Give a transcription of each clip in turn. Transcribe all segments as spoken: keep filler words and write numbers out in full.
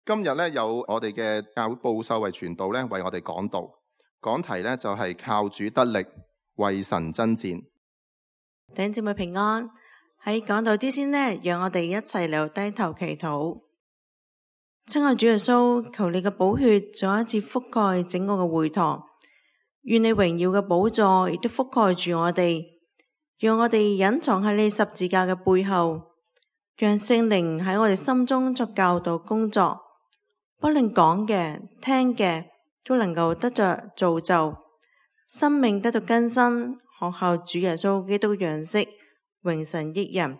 今日咧有我哋嘅教會布秀慧傳道咧為我哋講道，講題咧就係靠主得力，為神爭戰。弟兄姊妹平安。喺講道之前呢，讓我哋一齊嚟低頭祈禱。親愛主耶穌，求你嘅寶血再一次覆蓋整個嘅會堂，願你榮耀嘅寶座亦都覆蓋住我哋，讓我哋隱藏喺你十字架嘅背後，讓聖靈喺我哋心中作教導工作，不論講嘅、聽嘅，都能夠得着造就，生命得到更新，學效主耶穌基督樣式，榮神益人。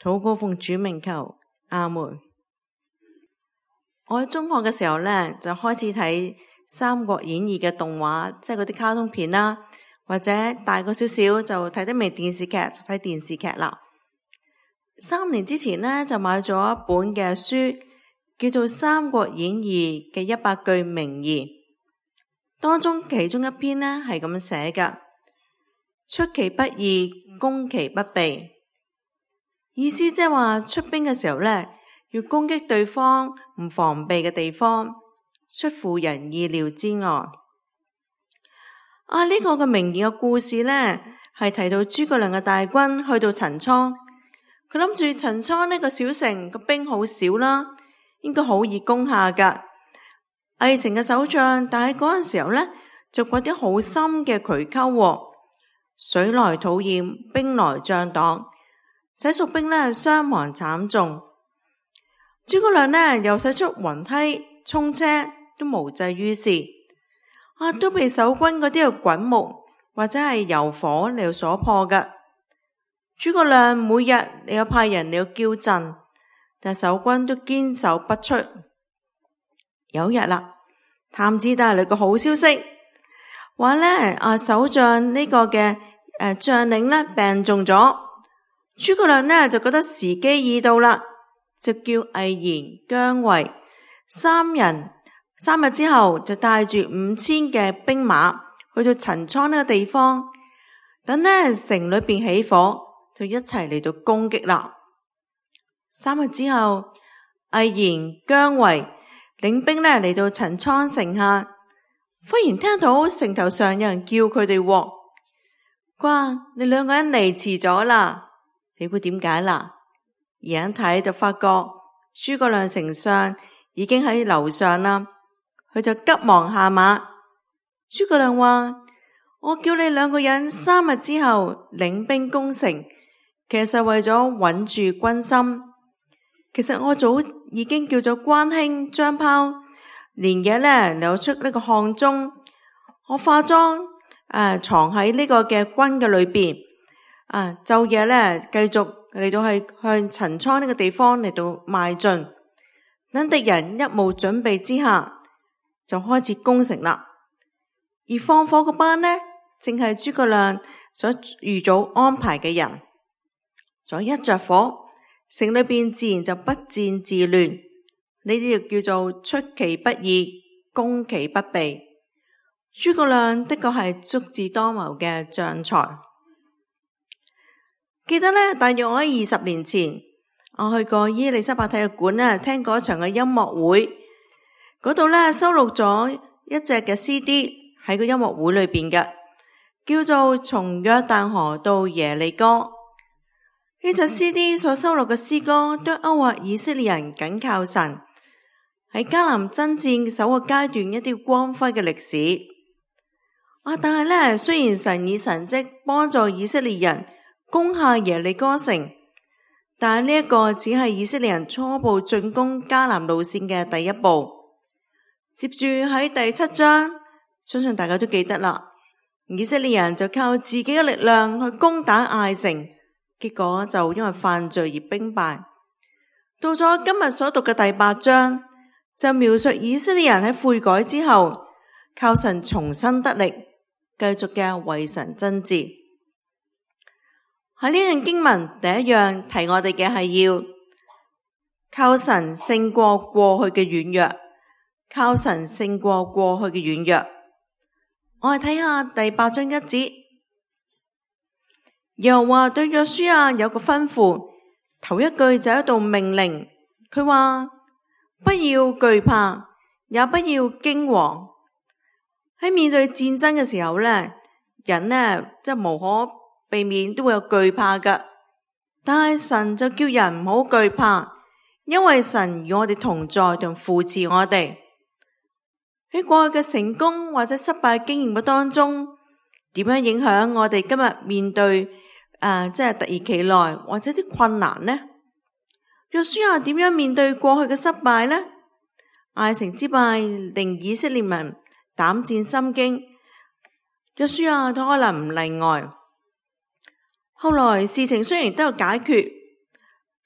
禱告奉主名求，阿門。我喺中學嘅時候呢，就開始睇《三國演義》嘅動畫，即係嗰啲卡通片啦，或者大個少少就睇得明電視劇，就睇電視劇啦。三年之前呢，就買咗一本嘅書，叫做《三國演義》嘅一百句名言，當中其中一篇呢係咁樣寫嘅：出其不意，攻其不備。意思即係話出兵嘅時候呢，要攻擊對方唔防備嘅地方，出乎人意料之外。啊，呢、這個嘅名言嘅故事呢，係提到諸葛亮嘅大軍去到陳倉，佢諗住陳倉呢個小城個兵好少啦，應該好易攻下噶。魏城嘅守將，但係嗰陣時候呢，就掘啲好深嘅渠溝，水來土掩，兵來將擋，使蜀兵呢傷亡慘重。諸葛亮呢又使出雲梯衝車，都無濟於事，啊都被守軍嗰啲嘅滾木或者係油火嚟所破嘅。諸葛亮每日你有派人嚟要叫陣，但守軍都堅守不出。有一日啦，探子帶嚟個好消息，話呢啊守將呢個嘅誒將領呢病重咗。諸葛亮呢就覺得時機已到啦，就叫魏延、姜維三人三日之後就帶住五千嘅兵馬去到陳倉呢個地方，等呢城裏邊起火，就一齊嚟到攻擊啦。三日之後，魏延、姜維領兵呢嚟到陳倉城下，忽然聽到城頭上有人叫佢哋，哇！你兩個人嚟遲咗啦。你估點解啦？而一睇就發覺諸葛亮丞相已經喺樓上啦，佢就急忙下馬。諸葛亮話：我叫你兩個人三日之後領兵攻城，其實為咗穩住軍心。其實我早已經叫咗關興、張苞連夜咧扭出呢個漢中，我化妝誒、呃、藏喺呢個嘅軍嘅裏邊，啊晝夜咧繼續嚟到係向陳倉呢個地方嚟到邁進，等敵人一無準備之下就開始攻城啦。而放火嗰班呢，正係諸葛亮所預早安排嘅人，再一着火，城裏邊自然就不戰自亂。呢啲就叫做出其不意，攻其不備。諸葛亮的確係足智多謀嘅將才。記得呢，大約我喺二十年前，我去過伊利沙伯體育館呢，聽過一場嘅音樂會，嗰度呢，收錄咗一隻嘅 C D 喺個音樂會裏邊嘅，叫做《從約旦河到耶利哥》。呢隻 C D 所收錄嘅詩歌都勾畫以色列人緊靠神，喺迦南爭戰首個階段一啲光輝嘅歷史。啊！但係呢，雖然神以神蹟幫助以色列人攻下耶利哥城，但係呢一個只係以色列人初步進攻迦南路線嘅第一步。接住喺第七章，相信大家都記得啦，以色列人就靠自己嘅力量去攻打艾城，結果就因為犯罪而兵敗。到咗今日所讀嘅第八章，就描述以色列人喺悔改之後，靠神重新得力，繼續嘅為神爭戰。喺呢段經文第一樣提我哋嘅係要靠神勝過過去嘅軟弱，靠神勝過過去嘅軟弱。我哋睇下第八章一節，又話對約書亞有個吩咐，頭一句就一道命令，佢話不要懼怕，也不要驚惶。喺面對戰爭嘅時候呢，人呢即係無可避免都會有懼怕㗎。但係神就叫人唔好懼怕，因為神與我哋同在同扶持我哋。喺過去嘅成功或者失敗經驗嘅當中，點樣影響我哋今日面對誒、呃、即係突如其來或者啲困難呢？約書亞點樣面對過去嘅失敗呢？艾城之敗令以色列民膽戰心驚，約書亞都可能唔例外。後來事情雖然都有解決，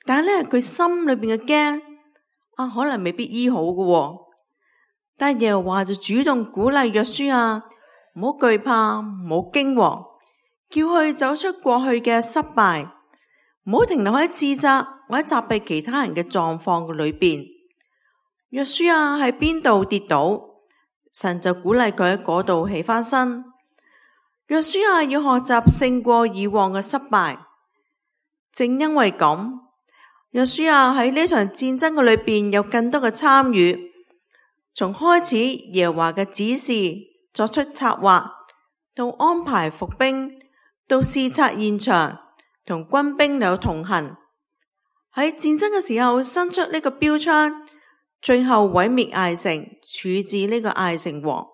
但係咧佢心裏邊嘅驚啊，可能未必醫好嘅喎。但耶和華就主動鼓勵約書亞唔好懼怕，唔好驚惶，叫佢走出過去嘅失敗，唔好停留喺自責或者責備其他人嘅狀況嘅裏邊。約書亞喺邊度跌倒，神就鼓勵佢喺嗰度起翻身。約書亞要學習勝過以往嘅失敗，正因為咁，約書亞喺呢場戰爭嘅裏邊有更多嘅參與。從開始耶和華嘅指示，作出策劃，到安排伏兵，到視察現場，同軍兵有同行。喺戰爭嘅時候伸出呢個標槍，最後毀滅艾城，處置呢個艾城王。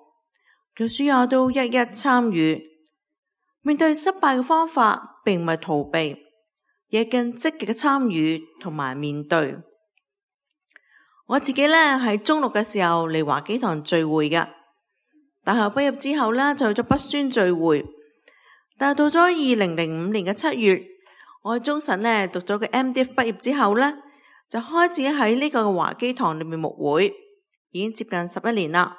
約書亞都一一參與。面對失敗嘅方法並唔係逃避，亦更積極嘅參與同埋面對。我自己呢喺中六嘅時候嚟華基堂聚會嘅，大學畢業之後呢就去咗北宣聚會。但係到咗二零零五年嘅七月，我喺中神呢讀咗個 M D F 畢業之後呢，就開始喺呢個華基堂裏面牧會，已經接近十一年啦。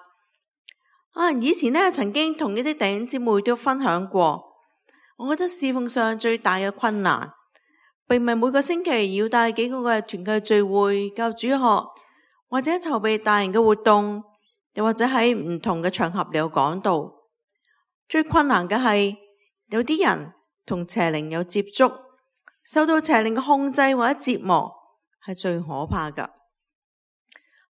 啊，以前呢曾經同一啲弟兄姊妹都分享過，我覺得侍奉上最大嘅困難，並唔係每個星期要帶幾個嘅團契聚會、教主學，或者籌備大型嘅活動，又或者喺唔同嘅場合嚟有講道。最困難嘅係有啲人同邪靈有接觸，受到邪靈嘅控制或者折磨，係最可怕㗎。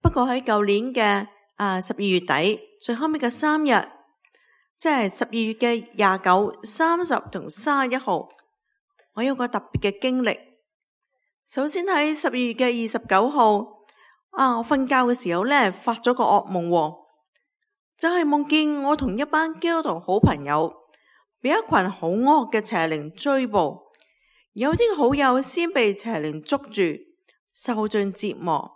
不過喺舊年嘅啊十二月底最後尾嘅三日，即係十二月嘅廿九、三十同三十一號，我有個特別嘅經歷。首先喺十二月嘅二十九號。啊！我瞓覺嘅時候呢，發咗個噩夢喎，就係夢見我同一班基督徒好朋友，被一群好惡嘅邪靈追捕，有啲好友先被邪靈捉住，受盡折磨，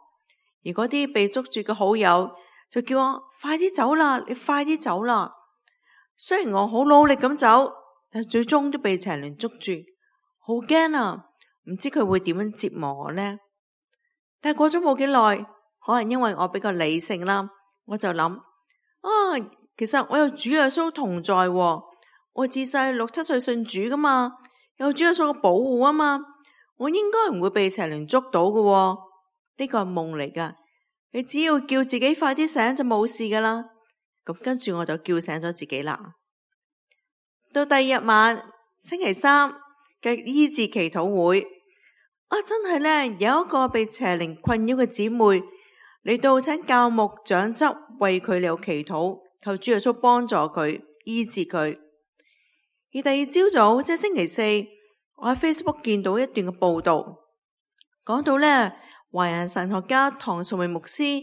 而嗰啲被捉住嘅好友就叫我快啲走啦，你快啲走啦。雖然我好努力咁走，但最終都被邪靈捉住，好驚啊！唔知佢會點樣折磨我呢？但係過咗冇幾耐，可能因為我比較理性啦，我就諗啊，其實我有主耶穌同在喎，我自細六七歲信主噶嘛，有主耶穌嘅保護啊嘛，我應該唔會被邪靈捉到嘅喎。呢個係夢嚟噶，你只要叫自己快啲醒就冇事噶啦。咁跟住我就叫醒咗自己啦。到第二日晚星期三嘅醫治祈禱會。啊！真係呢，有一個被邪靈困擾嘅姊妹嚟到請教牧長執為佢有祈禱，求主耶穌幫助佢醫治佢。而第二朝早即係星期四，我喺 Facebook 見到一段嘅報道，講到呢，華人神學家唐崇榮牧師，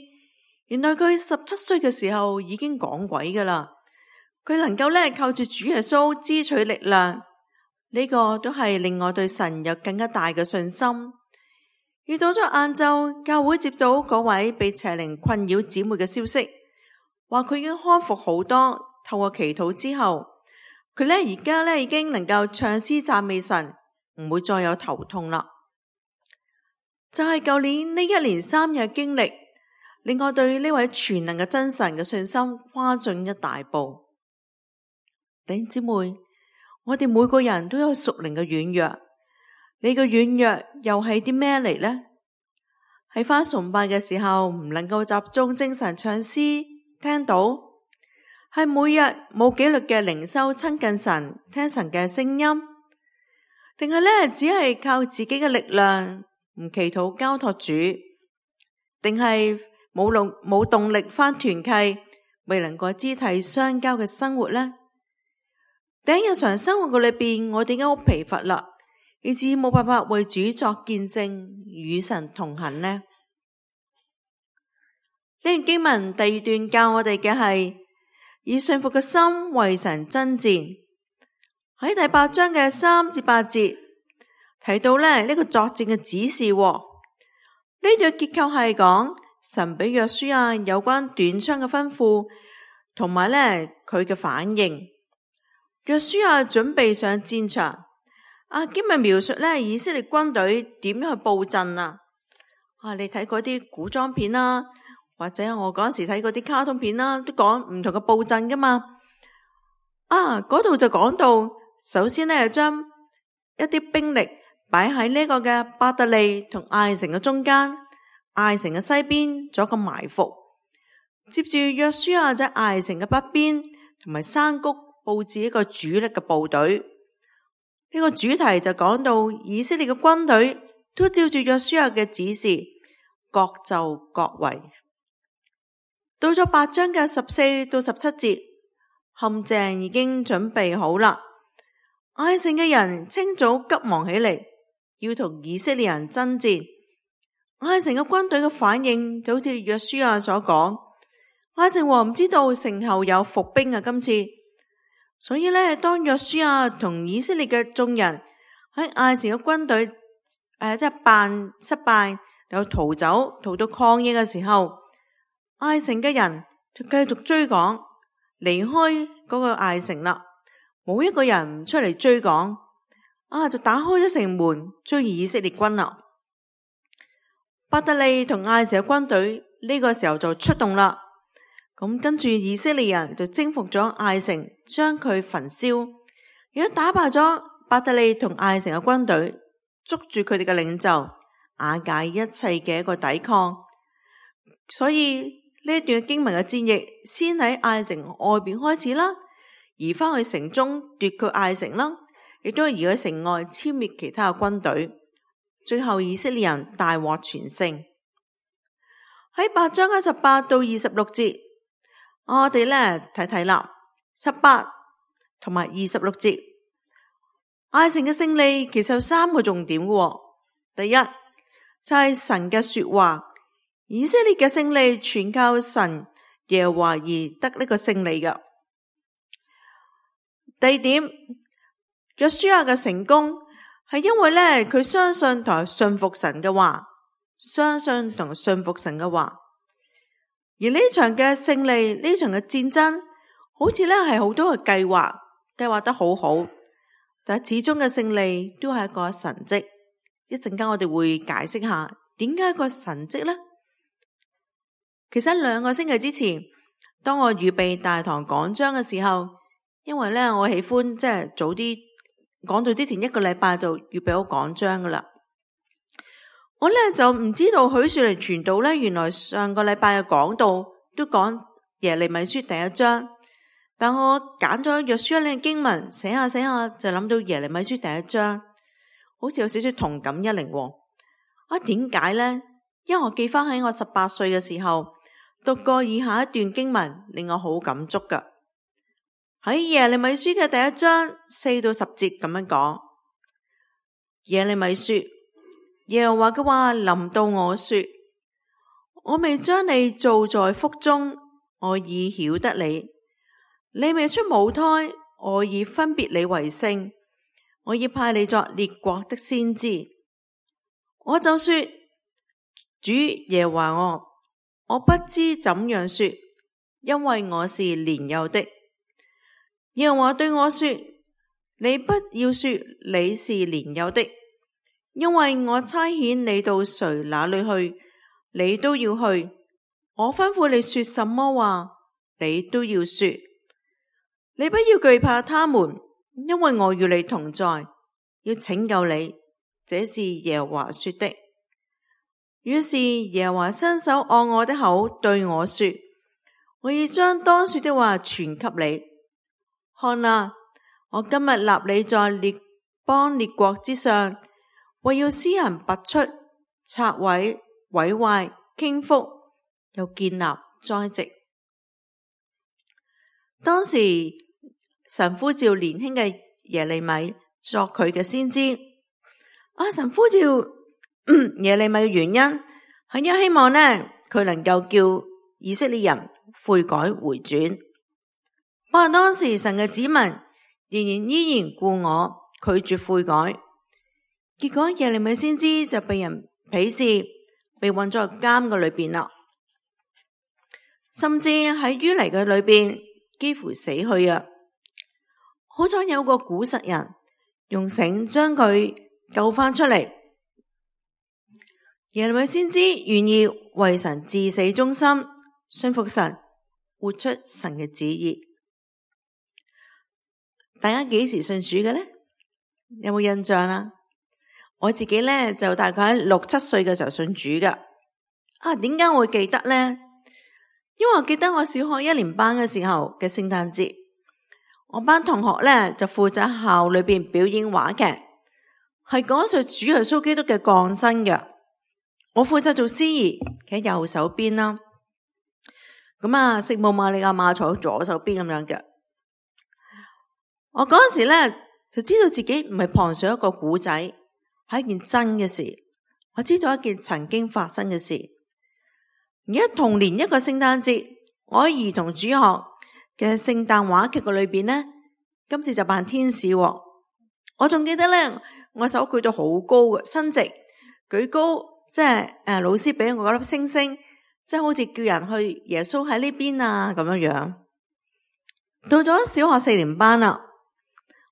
原來佢十七歲嘅時候已經講鬼噶啦，佢能夠呢靠住主耶穌支取力量。呢個都係令我對神有更加大嘅信心。而到咗晏晝，教會接到嗰位被邪靈困擾姊妹嘅消息，話佢已經康復好多。透過祈禱之後，佢呢而家呢已經能夠唱詩讚美神，唔會再有頭痛啦。就係舊年呢一連三日經歷，令我對呢位全能嘅真神嘅信心跨進一大步。弟兄姊妹，我哋每個人都有屬靈嘅軟弱，你嘅軟弱又係啲咩嚟呢？喺返崇拜嘅時候唔能夠集中精神唱詩聽到，係每日冇紀律嘅靈修親近神聽神嘅聲音，定係咧只係靠自己嘅力量唔祈禱交託主，定係冇動冇動力返團契，未能過肢體相交嘅生活呢？喺日常生活嘅裏邊，我哋已經好疲乏啦，以至冇辦法為主作見證，與神同行呢？呢段經文第二段教我哋嘅係以信服嘅心為神爭戰。喺第八章嘅三至八節提到咧呢個作戰嘅指示。呢段結構係講神俾約書亞有關短槍嘅吩咐，同埋咧佢嘅反應。約書亞準備上戰場。啊，經文描述咧以色列軍隊點樣去布陣啊？啊，你睇嗰啲古裝片啦，或者我嗰時睇嗰啲卡通片啦，都講唔同嘅布陣噶嘛。啊，嗰度就講到，首先咧將一啲兵力擺喺呢個嘅伯特利同艾城嘅中間，艾城嘅西邊做一個埋伏。接住約書亞喺艾城嘅北邊同埋山谷布置一個主力嘅部隊。呢個主題就講到以色列嘅軍隊都照住約書亞嘅指示，各就各位。到咗八章嘅十四到十七節，陷阱已經準備好啦。艾城嘅人清早急忙起嚟，要同以色列人爭戰。艾城嘅軍隊嘅反應就好似約書亞所講，艾城王唔知道城後有伏兵啊，今次，所以呢，當約書亞同以色列嘅眾人喺艾城嘅軍隊誒、呃、即係扮失敗，又逃走逃到曠野嘅時候，艾城嘅人就繼續追趕，離開嗰個艾城啦。冇一個人唔出嚟追趕，啊就打開咗城門追以色列軍啦。伯特利同艾城嘅軍隊呢個時候就出動啦。咁跟住以色列人就征服咗艾城，將佢焚燒，亦都打敗咗伯特利同艾城嘅軍隊，捉住佢哋嘅領袖，瓦解一切嘅一個抵抗。所以呢一段經文嘅戰役先喺艾城外邊開始啦，移翻去城中奪佢艾城啦，亦都係移去城外殲滅其他嘅軍隊。最後以色列人大獲全勝。喺八章嘅十八到二十六節，我哋咧睇睇啦，十八同埋二十六節，艾城嘅勝利其實有三個重點嘅。第一就係神嘅說話，以色列嘅勝利全靠神耶和華而得呢個勝利嘅。第二點，約書亞嘅成功係因為咧佢相信同埋信服神嘅話，相信同埋信服神嘅話。而呢場嘅勝利，呢場嘅戰爭，好似咧係好多嘅計劃，計劃得好好，但係始終嘅勝利都係一個神蹟。一陣間我哋會解釋下點解一個神蹟呢？其實兩個星期之前，當我預備大堂講章嘅時候，因為咧我喜歡即係早啲講到之前一個禮拜就預備好講章噶啦。我咧就唔知道許樹寧傳道咧，原來上個禮拜嘅講道都講耶利米書第一章，但我揀咗約書亞呢個經文寫下寫下就諗到耶利米書第一章，好似有少少同感一靈。啊，點解呢？因為我記翻喺我十八歲嘅時候讀過以下一段經文，令我好感觸噶。喺耶利米書嘅第一章四到十節咁樣講，耶利米說。耶和華嘅話臨到我說，我未將你造在腹中，我已曉得你；你未出母胎，我已分別你為聖，我已派你作列國的先知。我就說，主耶和華我，我不知怎樣說，因為我是年幼的。耶和華對我說，你不要說你是年幼的，因為我差遣你到誰那裏去，你都要去；我吩咐你說什麼話，你都要說。你不要懼怕他們，因為我與你同在，要拯救你。這是耶和華說的。於是耶和華伸手按我的口對我說，我已將當說的話傳給你。看啊，我今日立你在列邦列國之上，為要施行拔出、拆毀、毀壞、傾覆，又建立栽植。當時神呼召年輕嘅耶利米作佢嘅先知。啊，神呼召耶利米嘅原因係因為希望呢，佢能夠叫以色列人悔改回轉。不過當時神嘅子民仍然依然故我，拒絕悔改，結果耶利米先知就被人鄙視，被困咗入監嘅裏邊啦，甚至喺淤泥嘅裏邊幾乎死去啊！好彩有個古實人用繩將佢救翻出嚟。耶利米先知願意為神至死忠心，信服神，活出神嘅旨意。大家幾時信主嘅呢？有冇印象啊？我自己呢，就大概喺六七歲嘅時候信主噶。啊，點解我會記得呢？因為我記得我小學一年班嘅時候嘅聖誕節，我班同學呢，就負責校裏邊表演話劇，係講述主耶穌基督嘅降生嘅。我負責做司儀，企喺右手邊啦。咁啊，聖母瑪利亞馬坐喺左手邊咁樣嘅。我嗰陣時咧就知道自己唔係旁述一個古仔，係一件真嘅事。我知道一件曾經發生嘅事。而家同年一個聖誕節，我喺兒童主學嘅聖誕話劇嘅裏邊呢，今次就扮天使。我仲記得咧，我手舉到好高嘅，伸直舉高。即係誒，老師俾我嗰粒星星，即係好似叫人去耶穌喺呢邊啊咁樣樣。到咗小學四年班啦，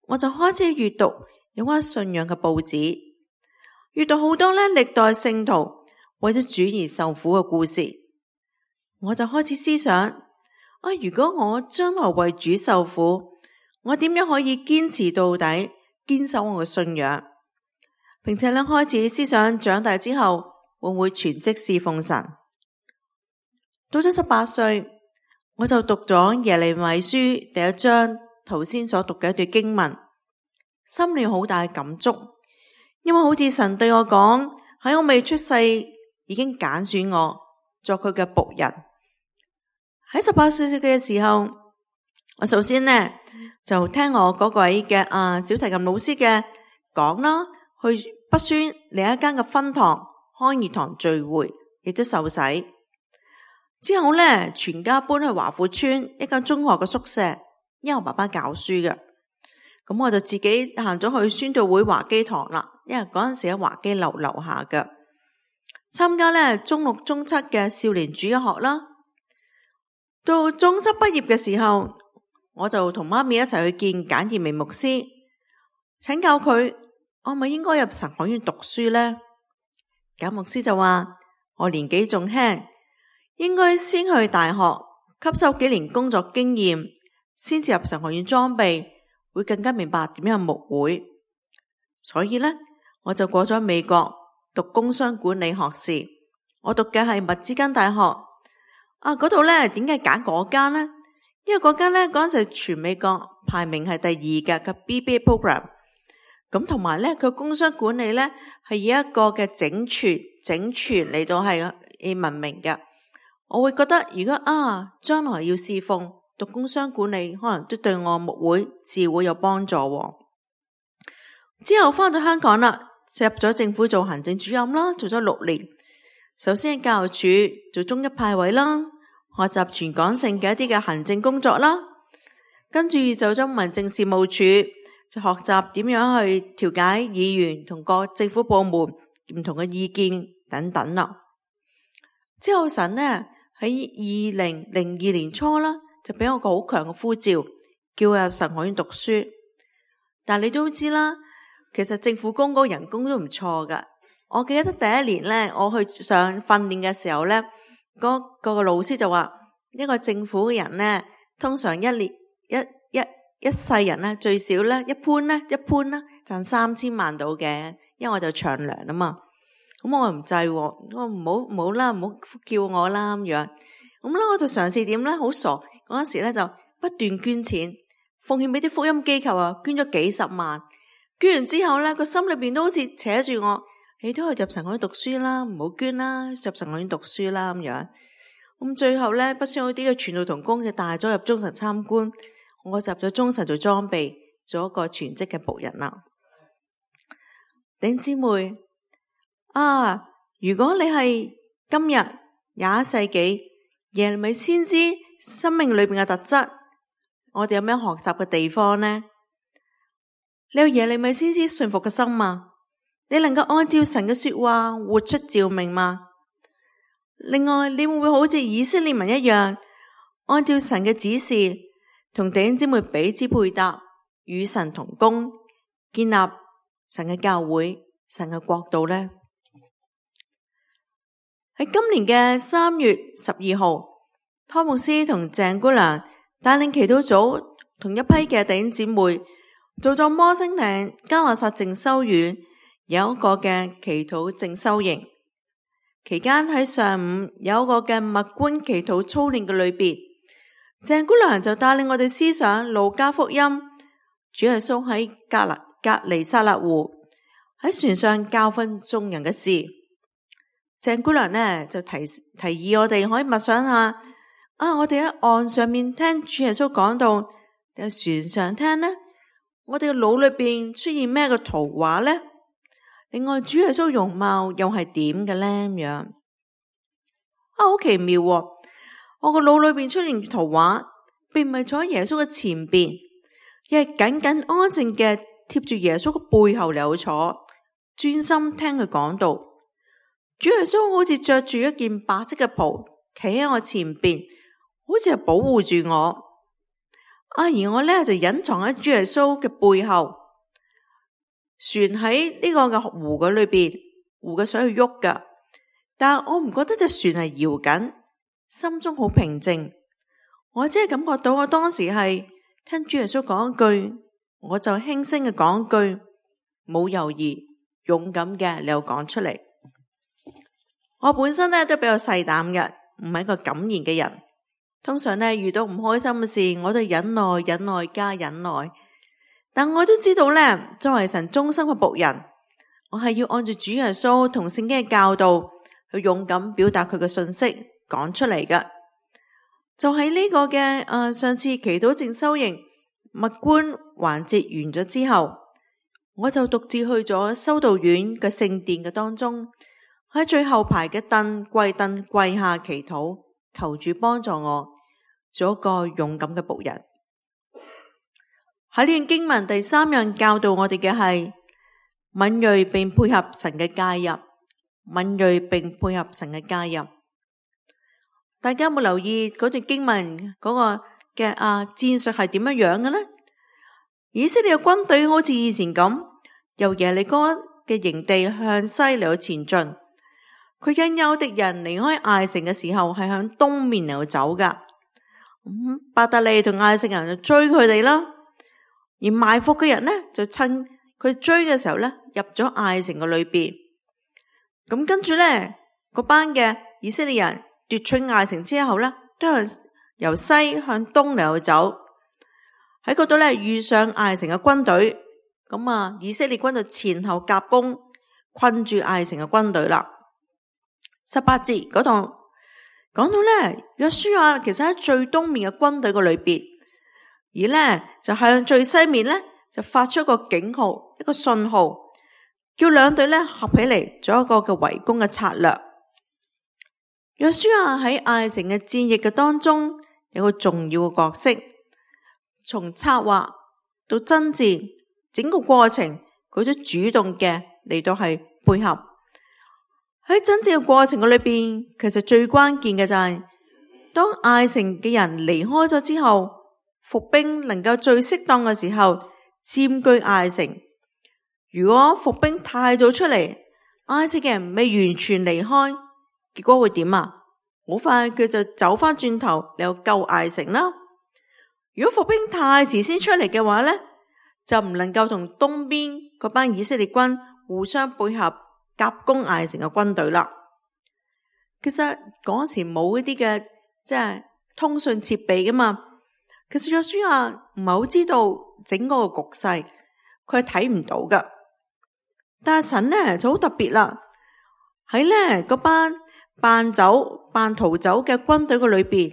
我就開始閱讀有關信仰嘅報紙，閱讀好多咧歷代聖徒為咗主而受苦嘅故事。我就開始思想啊，如果我將來為主受苦，我點樣可以堅持到底，堅守我嘅信仰？並且咧開始思想長大之後會唔會全職侍奉神。到咗十八歲，我就讀咗耶利米書第一章頭先所讀嘅一段經文，心裏好大嘅感觸，因為好似神對我講，喺我未出世已經揀選我作佢嘅僕人。喺十八歲嘅時候，我首先呢就聽我嗰位嘅啊小提琴老師嘅講啦，去北宣另一間嘅分堂康義堂聚會，亦都受洗。之後咧，全家搬去華富村一間中學嘅宿舍，因為我爸爸教書嘅，咁我就自己行咗去宣道會華基堂啦。因為嗰陣時喺華基樓樓下嘅，參加咧中六中七嘅少年主日學啦。到中七畢業嘅時候，我就同媽咪一齊去見簡義明牧師，請教佢我咪應該入神學院讀書呢？簡牧師就話我年紀仲輕，應該先去大學吸收幾年工作經驗，先至入神學院裝備，會更加明白點樣牧會。所以呢，我就過咗美國讀工商管理學士。我讀嘅係密茲根大學。啊，嗰度呢，點解揀嗰間呢？因為嗰間呢，嗰陣時全美國排名係第二嘅嘅 B B A program。咁同埋呢，佢工商管理呢，係以一個嘅整全整全嚟到係誒聞名嘅。我會覺得如果啊將來要侍奉讀工商管理，可能都對我牧會自會有幫助。之後翻到香港啦，入咗政府做行政主任啦，做咗六年。首先喺教育處做中一派位啦，學習全港性嘅一啲嘅行政工作啦，跟住就咗民政事務處，就學習點樣去調解議員同各政府部門唔同嘅意見等等啦。之後神呢喺二零零二年初啦，就俾我個好強嘅呼召，叫我入神學院讀書。但你都知啦，其實政府工嗰個人工都唔錯噶。我記得第一年咧，我去上訓練嘅時候咧，嗰、嗰個老師就話，一個政府嘅人咧，通常一年一一一世人咧，最少咧一般咧一般啦，賺三千萬到嘅，因為我就長糧啊嘛。咁我唔制，我唔好唔好啦，唔好叫我啦咁樣。咁咧我就嘗試點咧，好傻嗰陣時咧就不斷捐錢，奉獻俾啲福音機構啊，捐咗幾十萬。捐完之後咧，個心裏邊都好似扯住我。你都去入神學院讀書啦，唔好捐啦，入神學院讀書啦咁樣。咁最後咧，不相好啲嘅傳道同工就帶咗入中神參觀，我就入咗中神做裝備，做一個全職嘅僕人啦。弟兄姊妹啊，如果你係今日廿一世紀耶利米先知生命裏邊嘅特質，我哋有咩學習嘅地方呢？你有耶利米先知信服嘅心嗎？你能夠按照神嘅說話活出召命嗎？另外，你會唔會好似以色列民一樣，按照神嘅指示，同弟兄姊妹彼此配搭，與神同工，建立神嘅教會、神嘅國度呢？喺今年嘅三月十二號，湯牧師同鄭姑娘帶領祈禱組同一批嘅弟兄姊妹做咗摩星嶺嘉諾撒靜修院有一個嘅祈禱靜修營。期間喺上午有一個嘅默觀祈禱操練嘅裏邊，鄭姑娘就帶領我哋思想路加福音，主耶穌喺格勒格尼撒勒湖喺船上教訓眾人嘅事。鄭姑娘呢就提提議我哋可以默想下，啊，我哋喺岸上面聽主耶穌講道，定係船上聽呢？我哋嘅腦裏邊出現咩嘅圖畫呢？另外，主耶穌容貌又係點嘅呢？咁樣啊，好奇妙喎！我個腦裏邊出現圖畫，並唔係坐喺耶穌嘅前邊，而係緊緊安靜嘅貼住耶穌嘅背後嚟坐，專心聽佢講道。主耶穌好似着住一件白色嘅袍，企喺我前邊，好似係保護住我。啊，而我咧就隱藏喺主耶穌嘅背後。船喺呢個嘅湖嘅裏邊，湖嘅水去喐噶，但係我唔覺得隻船係搖緊，心中好平靜。我只係感覺到我當時係聽主耶穌講一句，我就輕聲嘅講一句，冇猶豫，勇敢嘅你又講出嚟。我本身咧都比較細膽嘅，唔係一個敢言嘅人。通常咧遇到唔開心嘅事，我都忍耐、忍耐加忍耐。但我都知道咧，作為神忠心嘅僕人，我係要按照主耶穌同聖經嘅教導去勇敢表達佢嘅信息，講出嚟嘅。就喺呢個嘅誒、呃、上次祈禱靜修營默觀環節完咗之後，我就獨自去咗修道院嘅聖殿嘅當中，喺最後排嘅凳跪凳跪下祈禱，求主幫助我做一個勇敢嘅僕人。喺呢段經文第三樣教導我哋嘅係敏銳並配合神嘅介入，敏銳並配合神嘅介入。大家有冇留意嗰段經文嗰個嘅啊戰術係點樣樣嘅呢？以色列嘅軍隊好似以前咁，由耶利哥嘅營地向西嚟到前進。佢因憂敵人離開艾城嘅時候係向東面嚟到走噶。咁伯特利同艾城人就追佢哋啦。而埋伏嘅人呢，就趁佢追嘅時候呢，入咗艾城嘅裏邊。咁跟住呢，嗰班嘅以色列人奪取艾城之後呢，都係由西向東嚟去走。喺嗰度呢，遇上艾城嘅軍隊，咁啊，以色列軍就前後夾攻，困住艾城嘅軍隊啦。十八節嗰度講到呢，約書亞其實喺最東面嘅軍隊嘅裏邊。而呢，就向最西面呢，就發出一個警號，一個信號，叫兩隊呢合起嚟做一個嘅圍攻嘅策略。約書亞喺艾城嘅戰役嘅當中有個重要嘅角色，從策劃到爭戰整個過程，佢都主動嘅嚟到係配合。喺爭戰嘅過程嘅裏邊，其實最關鍵嘅就係、是、當艾城嘅人離開咗之後，伏兵能夠最適當嘅時候佔據艾城。如果伏兵太早出嚟，艾城嘅人未完全離開，結果會點啊？好快佢就走翻轉頭嚟救艾城啦。如果伏兵太遲先出嚟嘅話呢，就唔能夠同東邊嗰班以色列軍互相配合夾攻艾城嘅軍隊啦。其實嗰時冇一啲嘅即係通訊設備噶嘛。其實約書亞唔係好知道整個個局勢，佢係睇唔到噶。但係神呢就好特別啦，喺呢嗰班扮走、扮逃走嘅軍隊嘅裏邊，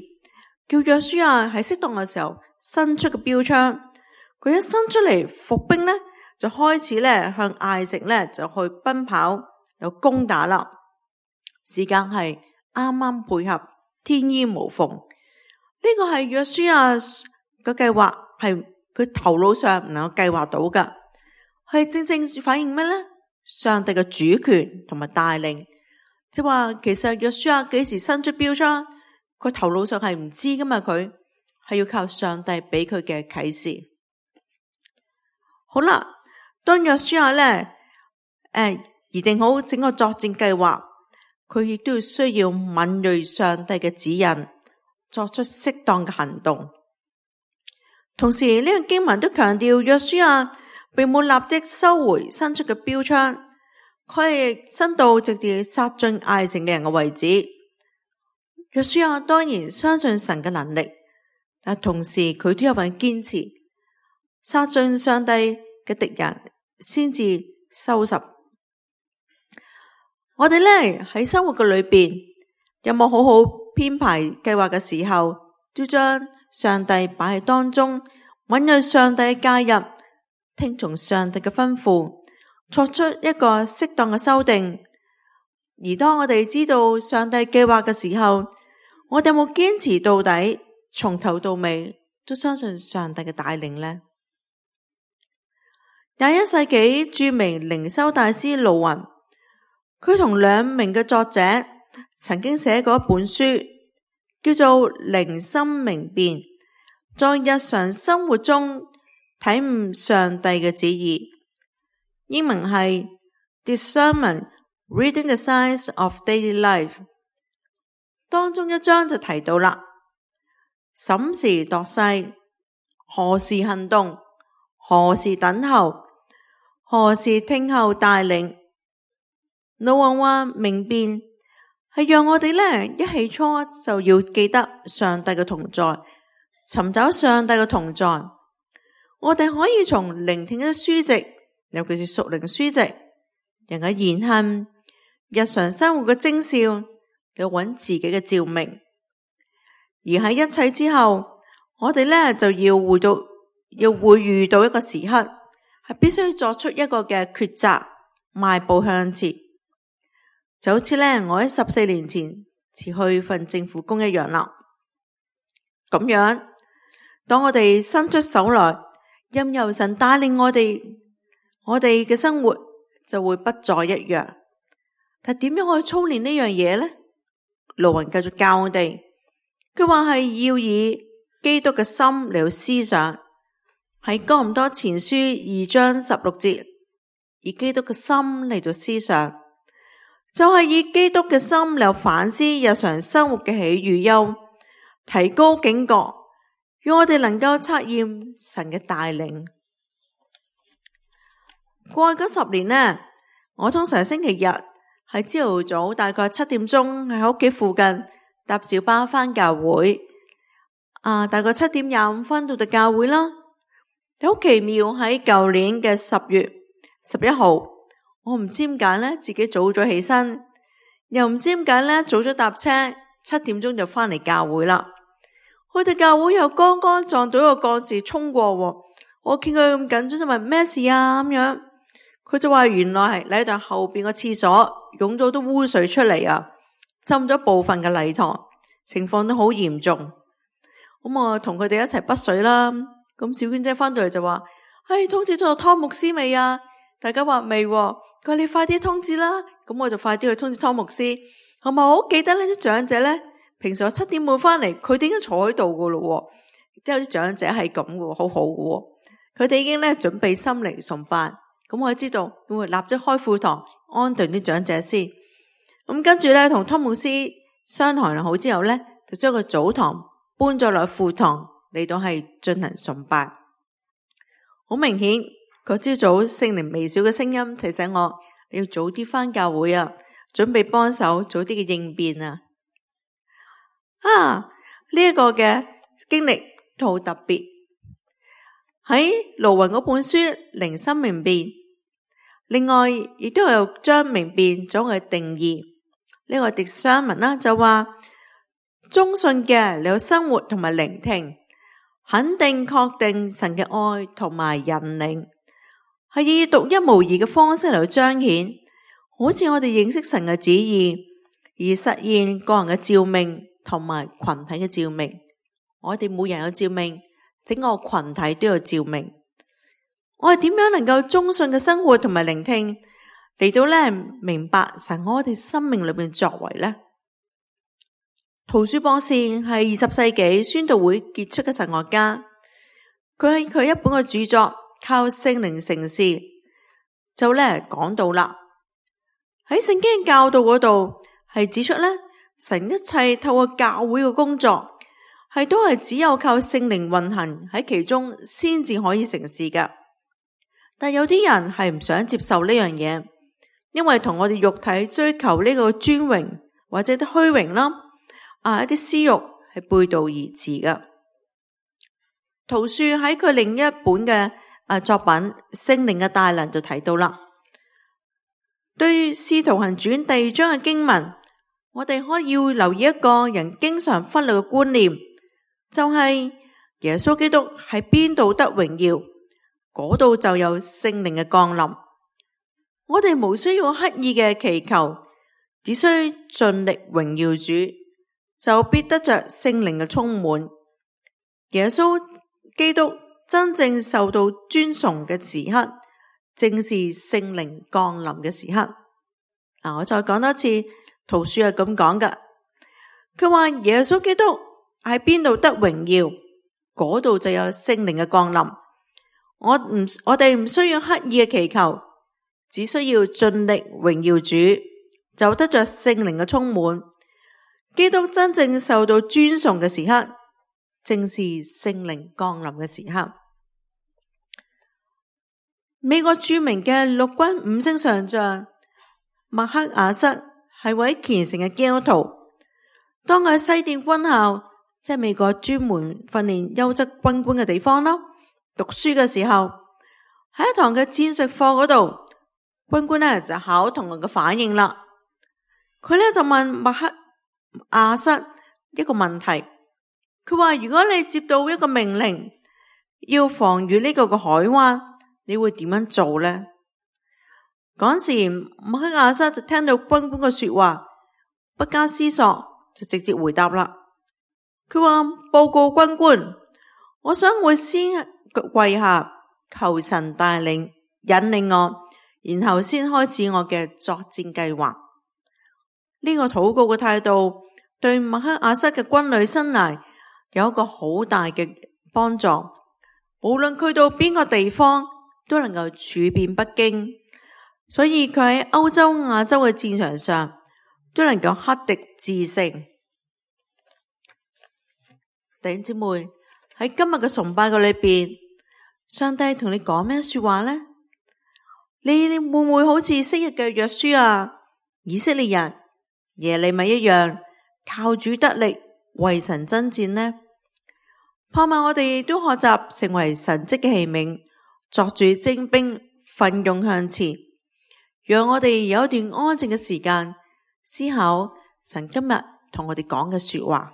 叫約書亞喺適當嘅時候伸出個標槍。佢一伸出嚟伏兵呢，就開始咧向艾城咧就去奔跑，又攻打啦。時間係啱啱配合，天衣無縫。呢個係約書亞嘅計劃，係佢頭腦上唔能夠計劃到㗎，係正正反映咩呢？上帝嘅主權同埋帶領，即係話其實約書亞幾時伸出標槍，佢頭腦上係唔知㗎嘛，佢係要靠上帝俾佢嘅啟示。好啦，當約書亞咧誒擬定好整個作戰計劃，佢亦都要需要敏銳上帝嘅指引，作出適當嘅行動。同時呢個經文都強調約書亞並冇立即收回伸出嘅標槍，佢係伸到直接殺進艾城嘅人嘅位置。約書亞當然相信神嘅能力，但同時佢都有份堅持，殺進上帝嘅敵人先至收拾。我哋咧喺生活嘅裏邊有冇好好編排計劃嘅時候，都將上帝擺喺當中，允許上帝介入，聽從上帝嘅吩咐，作出一個適當嘅修訂。而當我哋知道上帝計劃嘅時候，我哋有冇堅持到底，從頭到尾都相信上帝嘅帶領呢？廿一世紀著名靈修大師盧雲，佢同兩名嘅作者曾經寫過一本書，叫做《靈心明辨》，在日常生活中體悟上帝嘅旨意。英文係 Discernment Reading the Signs of Daily Life。當中一章就提到啦，審時度勢，何時行動，何時等候，何時聽候帶領。盧雲話明辨係讓我哋呢一起初就要記得上帝嘅同在，尋找上帝嘅同在。我哋可以從聆聽嘅書籍，尤其是屬靈書籍，人嘅言行，日常生活嘅徵兆，嚟揾自己嘅照明。而喺一切之後，我哋呢就要回到，要會遇到一個時刻，係必須作出一個嘅抉擇，邁步向前。就好似呢，我喺十四年前辭去份政府工一樣啦。咁樣，當我哋伸出手來，任由神帶領我哋，我哋嘅生活就會不再一樣。但點樣去操練呢樣嘢呢？盧雲繼續教我哋，佢話係要以基督嘅心嚟到思想，喺哥林多前書二章十六節，以基督嘅心嚟到思想，就係、是、以基督嘅心嚟反思日常生活嘅喜與憂，提高警覺，讓我哋能夠測驗神嘅帶領。過去嗰十年呢，我通常星期日喺朝頭早大概七點鐘喺屋企附近搭小巴返教會，啊，大概七點廿五分到到教會啦。好奇妙，喺舊年嘅十月十一號，我唔知點解咧，自己早咗起身，又唔知點解咧，早咗搭車，七點鐘就返嚟教會啦。去到教會又剛剛撞到一個幹事衝過，我見佢咁緊張就問咩事啊咁樣，佢就話原來係禮堂後邊個廁所湧咗啲污水出嚟啊，浸咗部分嘅禮堂，情況都好嚴重。咁我同佢哋一齊潑水啦。咁小娟姐翻到嚟就話：唉、哎，通知咗湯牧師未啊？大家話未，佢話你快啲通知啦。咁我就快啲去通知湯牧師。係咪好記得呢啲長者咧？平時我七點半翻嚟，佢哋已經坐喺度噶咯。即係有啲長者係咁嘅，好好嘅。佢哋已經咧準備心靈崇拜。咁我知道會立即開副堂安頓啲長者先。咁跟住咧同湯牧師商談好之後咧，就將個早堂搬咗落副堂嚟到係進行崇拜。好明顯，嗰朝早聖靈微小嘅聲音提醒我，你要早啲返教會啊，準備幫手早啲嘅應變啊。啊，呢一個嘅經歷都好特別。喺盧雲嗰本書《靈心明辨》，另外亦都有將明辨咗嘅定義。呢個狄商文啦就話，忠信嘅你有生活同埋聆聽，肯定確定神嘅愛同埋引領，係以獨一無二嘅方式嚟去彰顯，好似我哋認識神嘅旨意，而實現個人嘅召命同埋群體嘅召命。我哋每人有召命，整個群體都有召命。我哋點樣能夠忠信嘅生活同埋聆聽，嚟到咧明白神喺我哋生命裏面作為呢？陶恕博士係二十世紀宣道會傑出嘅神學家，佢喺佢一本嘅著作《靠聖靈成事》就咧講到啦，喺聖經教導嗰度係指出咧，神一切透過教會嘅工作係都係只有靠聖靈運行喺其中先至可以成事㗎。但有啲人係唔想接受呢樣嘢，因為同我哋肉體追求呢個尊榮或者啲虛榮啦，啊一啲私欲係背道而馳㗎。陶恕喺佢另一本嘅啊作品《聖靈嘅大能》就提到啦，對於《使徒行傳》第二章嘅經文，我哋可以要留意一個人經常忽略嘅觀念，就係耶穌基督喺邊度得榮耀，嗰度就有聖靈嘅降臨。我哋無需要刻意嘅祈求，只需盡力榮耀主，就必得着聖靈嘅充滿。耶穌基督真正受到尊崇嘅時刻，正是聖靈降臨嘅時刻。啊，我再講多次，陶恕係咁講㗎。佢話耶穌基督喺邊度得榮耀，嗰度就有聖靈嘅降臨。我唔，我哋唔需要刻意嘅祈求，只需要盡力榮耀主，就得着聖靈嘅充滿。基督真正受到尊崇嘅時刻，正是聖靈降臨嘅時刻。美國著名嘅陸軍五星上將麥克阿瑟係位虔誠嘅基督徒。當佢喺西點軍校，即係美國專門訓練優質軍官嘅地方啦，讀書嘅時候，喺一堂嘅戰術課嗰度，軍官呢就考同學嘅反應啦。佢呢就問麥克阿瑟一個問題，佢話如果你接到一個命令，要防禦呢個嘅海灣，你會點樣做呢？嗰時麥克阿瑟就聽到軍官嘅說話，不加思索就直接回答啦。佢話報告軍官，我想會先跪下求神帶領引領我，然後先開始我嘅作戰計劃。呢個禱告嘅態度對麥克阿瑟嘅軍旅生涯有一個好大嘅幫助，無論去到邊個地方都能夠處變不驚，所以佢喺歐洲、亞洲嘅戰場上都能夠克敵制勝。弟兄姊妹，喺今日嘅崇拜嘅裏邊，上帝同你講咩說話呢？你會唔會好似昔日嘅約書亞、以色列人、耶利米一樣，靠主得力，為神爭戰呢？盼望我哋都學習成為神蹟嘅器皿，作主精兵，奮勇向前。讓我哋有一段安靜嘅時間，思考神今日同我哋講嘅說話。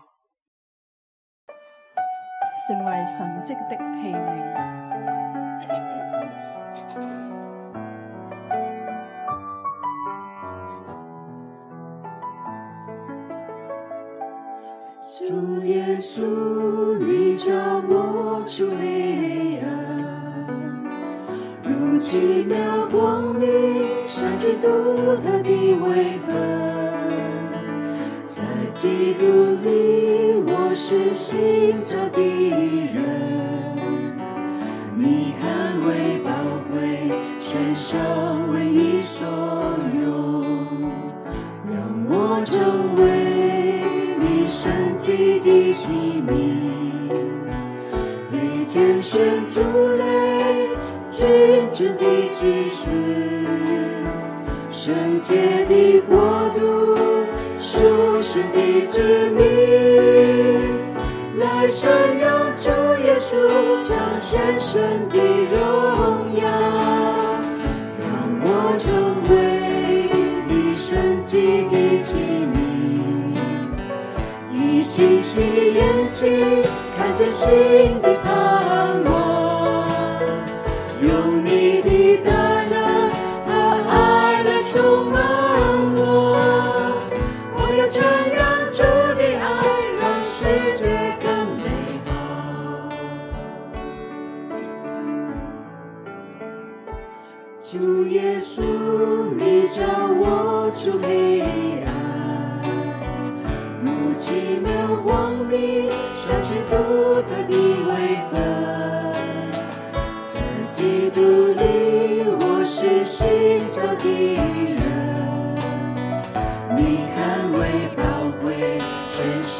成為神蹟的器皿。主耶穌，你照我出黑暗，如奇妙光明，閃起獨特的微分。在基督裏，我是新造的人，你看為寶貴，獻上為你所用，讓我成為你神蹟的器皿，被揀選族類，君尊的祭司，聖潔的國度，屬神的子民，來宣揚主耶穌，彰顯神的榮耀，讓我成為你聖潔的器皿。睛看見新的盼望，用你的大能和愛來充滿我，我要傳揚主的愛，讓世界更美好。主耶穌，你照我出黑暗，如奇妙光明閃起獨特的微分，在基督裡我是尋找的人，你看為寶貴，獻上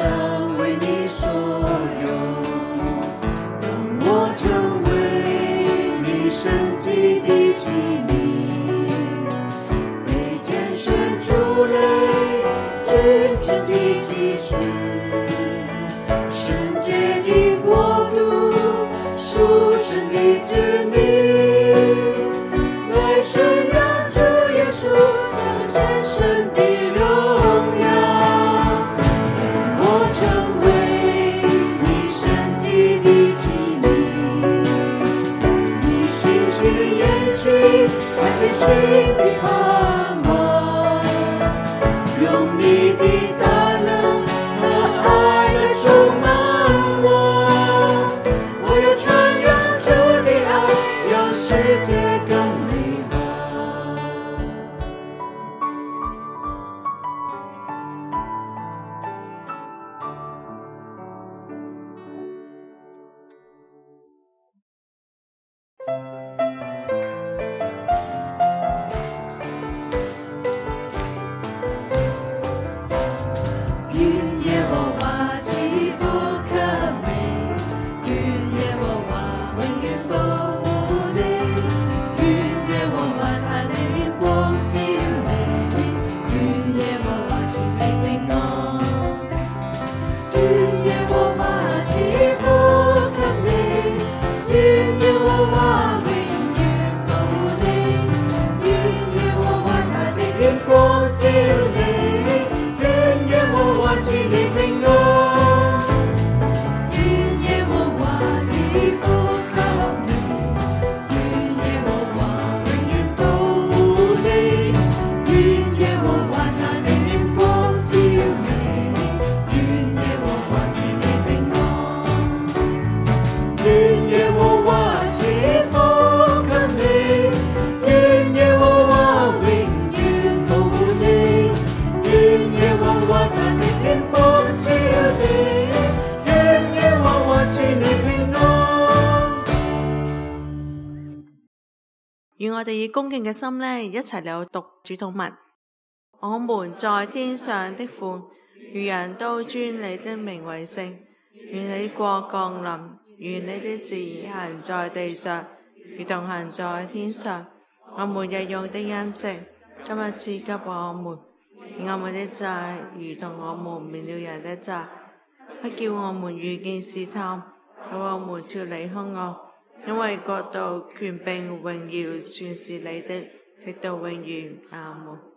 為你所用，讓我成為你聖潔的器皿，被揀選出來君尊的祭司，聖潔的國度，屬神的子民，來宣揚主耶穌彰顯神的榮耀，讓我成為你聖潔的器皿，你星星的眼睛看見新的盼望，用你的大能和愛來充滿我，我要傳揚主的愛，讓世界更美好。願耶和華賜福給你，願耶和華永遠保護你，願耶和華他的臉光照你，願耶和華賜你平安，願耶和華賜福給你，願耶和華永遠保護你，願耶和華他的臉光照你，賜你平安，願耶和華賜福給你，願耶和華永遠保護你，願耶和華他的臉光照你，願耶和華賜你平安，願耶和華賜福給你，願耶和華永遠保護你，願耶和華他的臉光照你，願耶和華賜你平安。願我哋以恭敬嘅心呢，一齊嚟讀主禱文。我們在天上的父，願人都尊你的名為聖。願你國降臨，願你的旨意行在地上，如同行在天上。我們日用的飲食，今日賜給我們，免我們的債，如同我們免了人的債，不叫我們遇見試探，救我們脫離兇惡。因為國度、權柄、榮耀，全是你的，直到永遠。阿門。